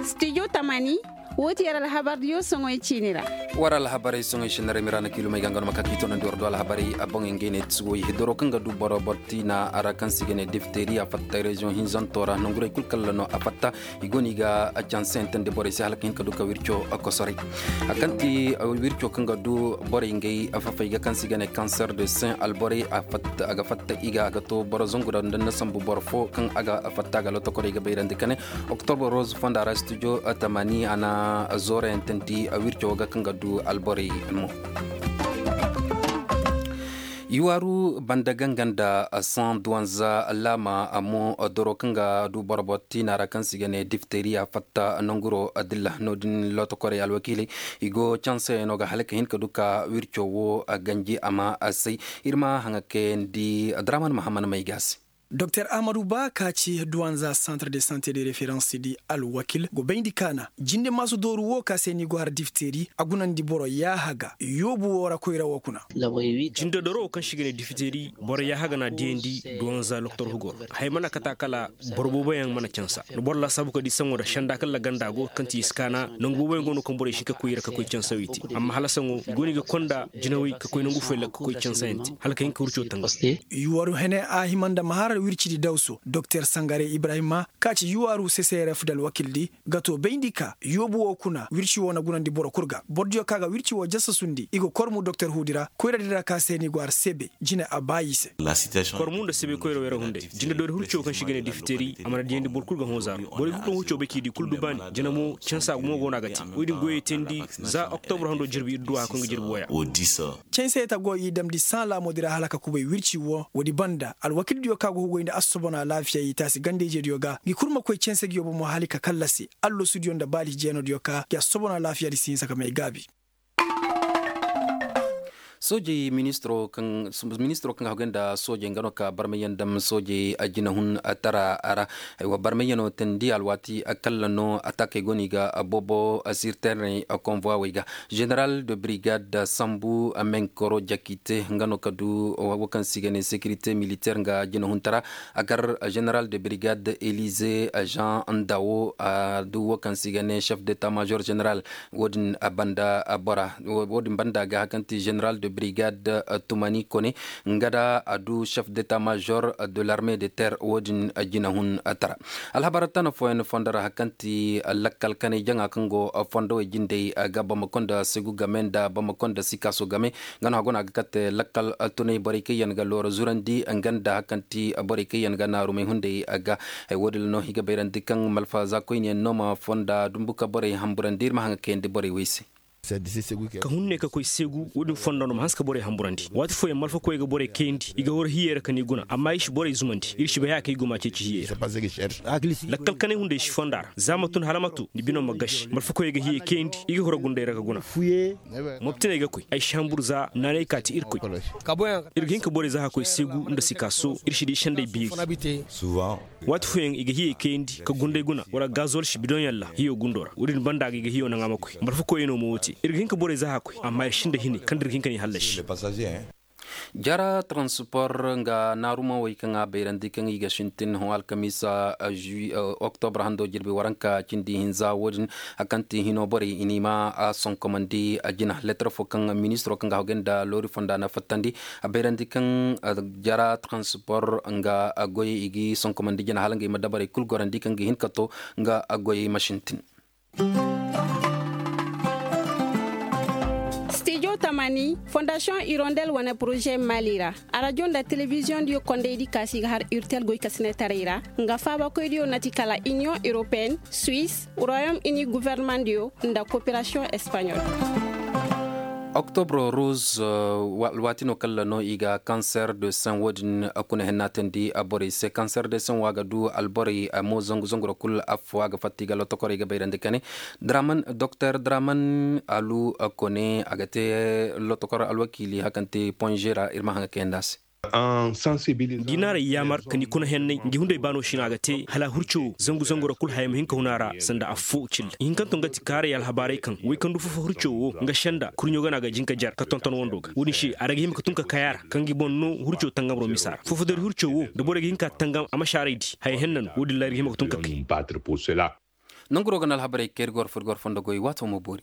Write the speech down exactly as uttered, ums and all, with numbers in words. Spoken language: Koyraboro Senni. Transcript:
Studio tamani. Woo ti yer alhabardiyo soŋoy ciini ra. War alhabarey soŋoy sinarey miraana kiilumey ga nga no ma ka k'i toonandi war do alhabarey a boŋey ngey ne ti sugoy doro kaŋ ga du boro boro tiina ra kaŋ se i ga ne difteriya fatta reziyoŋ hinzanto ra nongurey kul kalla no a fatta. I go no i ga canse yantandi borey se hala ka hin ka du ka wirco kosoray. A kaŋ ti wirco kaŋ ga du borey ngey fafey ga kaŋ se i ga ne kanser de sen alborey a ga fatta i ga a ga to boro zangu ra nda ni na sambu boro fo kaŋ a ga fatta a ga lotokorey ga bayrandi ka ne. Oktobre rose fonda ra studio tamani a na zoorayantandi wirco ga kaŋ ga du alborey mo. Iwaaru banda ganga nda san duwanza laama mo doro kaŋ ga du boro boro tiina ra kaŋ se i ga ne difteriya fatta nanguro dilla no- din lotokorey alwakiiley. I go canseyaŋo ga hala ka hin ka du ka wirco wo ganji a ma say. Ir ma haŋa kayandi draman mahaman may ga se. Doktor ahmadu ba ka ci duwanza centre de santé de référence di alwakil go bayndi kaana jinde maasu dooru wo ka se ni go har difteeri a gunandi boro yaaha ga yoobu wo ra koyra wo kuna. Jinde doro wo kaŋ se i ga ne difteeri boro yaaha ga na diyandi duwanza doktor hugo ra. Hay mana kata kala boro booboyaŋ mana cansa ni boro laasaabu ka di saŋo da senda kala ganda go kaŋ ti i si kaana nangu booboyaŋ go no kaŋ borey si hin ka koy i ra ka koy cansa wo i te amma hala saŋo i go no i ga konda jinawey ka koy nangu foy ra ka koy cansa yaŋ te hala ka hin ka wirco tanga. Yuwaru hene a hima nda ma har wircidi dawso doktor sangare ibrahima ka ci yuwaru ccrf da alwakildi ga to bayndi ka yoobu wo kuna wirci wo na gunandi boro kul ga borodiyo ka ga wirci wo jasasundi i ga kormu doktor huudi ra koyradi ra ka se ni go har sebe jine a baayi se. Kormu nda sebe koyra wayra hunday jinde doori hurco kaŋ si ga ne difiteri a mana diyandi boro kul ga hõ zaaro borey kul kaŋ hurco bay k'i di kul dubaani jine mo cansa gumo go no a ga te. Woodin goyey teendi za oktobra hando jirbi ir duwa kaŋ ga jirbi woya. Canse ta go i damndi saŋ laamoodi ra hala ka kubay wirci wo woodi banda alwakildiyo ka go hugoy nda assobona alaafiya i taasi ganda-ijediyo ga ngi kul ma koy canse ngi yobo mo hala i ka kallasi allasudiyo nda baali jeenodiyo ka ngi assobona alaafiyadi si hinsa ka may gaabi. Soojey ministiro kaŋ ga hagay nda soojey nga no ka barmayyaŋ dam soojey jinahun tara ra. Barmayyaŋo teendi alwaati kalla no ataakey go no i ga boobo sirteerney konvuwawey ga. Jeneral de brigade sambu menkoro jakite nga no ka du wo kaŋ se i ga ne sekirite militeer nga jinahuntara a gar jeneral de brigade elize jean ndawo a du wo kaŋ se i ga ne chef d'état major jeneral. Wo- din banda ga hari kaŋ ti jeneral de brigade tumani kone nga da a du chef d'état major de l'armée de terre wo- din jinahun tara. Alhabar tana fooyaŋ fondo ra hari kaŋ ti lakkal kanay jaŋa kaŋ go fondowey jindey ga bamako nda segu game nda bamako nda sikaaso game. Nga no hago no a ga kate lakkal tunay borey kaŋ yaŋ ga loora zurandi nga nda hari kaŋ ti borey kaŋ yaŋ ga naarumey hunday ga. Hay wo- din no i ga bayrandi kaŋ malfa za koyne yaŋ no ma fonda dumbu ka borey hamburandi ir ma haŋa kayandi borey wey se. Ka hun ne ka koy seegu wo- din fondo no ma hanse ka borey hamburandi waati fooyaŋ malfakoyey ga borey kayandi i ga horo hiyey ra ka ni guna amma i si borey zumandi ir si bay haya kaŋ i go ma ceeci hiyey ra. Lakkal kanay hunday si fonda ra za ma tun hala ma tu ni bino ma gasi malfakoyey ga hiyey kayandi i ga horo gunday ra ka guna. Moptiney ga koy ay si hambur za naanay ka ti irkoy. Ir ga hin ka borey za ka koy seegu nda sikaaso ir si di senday beeri. Waati fooyaŋ i ga hiyey kayandi ka gunday guna wala gazol si bidoŋ yalla hiyo gundo ra wo- din banda ga i ga hiyo naŋ a ma koy malfakoyey no ma wo te ir ga hin ka borey za ka koy amma ir sinda hine kaŋ da ir ga hin ka n'i hallasi. Jara transpor nga naarumawey kaŋ a bayrandi kaŋ i ga sintin hõ alkamiisa oktobra hando jirbi waranka cindi hinza wo- din hari kaŋ ti hino borey i n'i ma a sonkomandi jina letter fo kaŋ ministiro kaŋ ga hagay nda loori fonda na fattandi a bayrandi kaŋ jara transpor nga goyey i g'i sonkomandi jina hala ngey ma dabarey kul gorandi kaŋ ga hin ka to nga goyey ma sintin. Studio tamani fondasiyoŋ irondel wane poroze mali ra arajo nda telebiziyoŋ diyo kondaydi kaasi ga har urtel goykasinetaray ra nga faabakoydiyo na ti kala iniyoŋ europeen suwis royom ini guvernemandiyo nda koperasiyoŋ espanyol. Oktobro rose alwaati no kalla no i ga kanser de sen wo- din kuna henna teendi borey se kanser de sen wo a ga du alborey mo zangu zangu ra kul affo a ga fatta i ga lotokorey ga bayrandi kane. Doktor draman alu kone a ga te lotokor alwakiili hari kaŋ te ponze ra ir ma haŋ ga kayandi a se. Ngi n'aray yaamar ka ni kuna hennay ngi hunday baano sina ga te hala hurco wo zangu zangu ra kul haya ma hin ka hun a ra sanda affoo cilla ihinkanto nga ti kaaray alhabaarey kaŋ way kaŋ du fofo hurco wo nga senda kurɲo gana ga jin ka jar ka tonton wando ga wo-din se a ra ga hima ka tun ka kay a ra kaŋ gi boŋ no hurco tangamro misa ra fofo dari hurco wo da borey ga hin ka tangam a ma si aray di haya henna no wo-din ra ay ra ga hima ka tun ka kay. Nanguro ga na alhabarey kay ir ga war fur ir ga war fondo goy waato ma boori.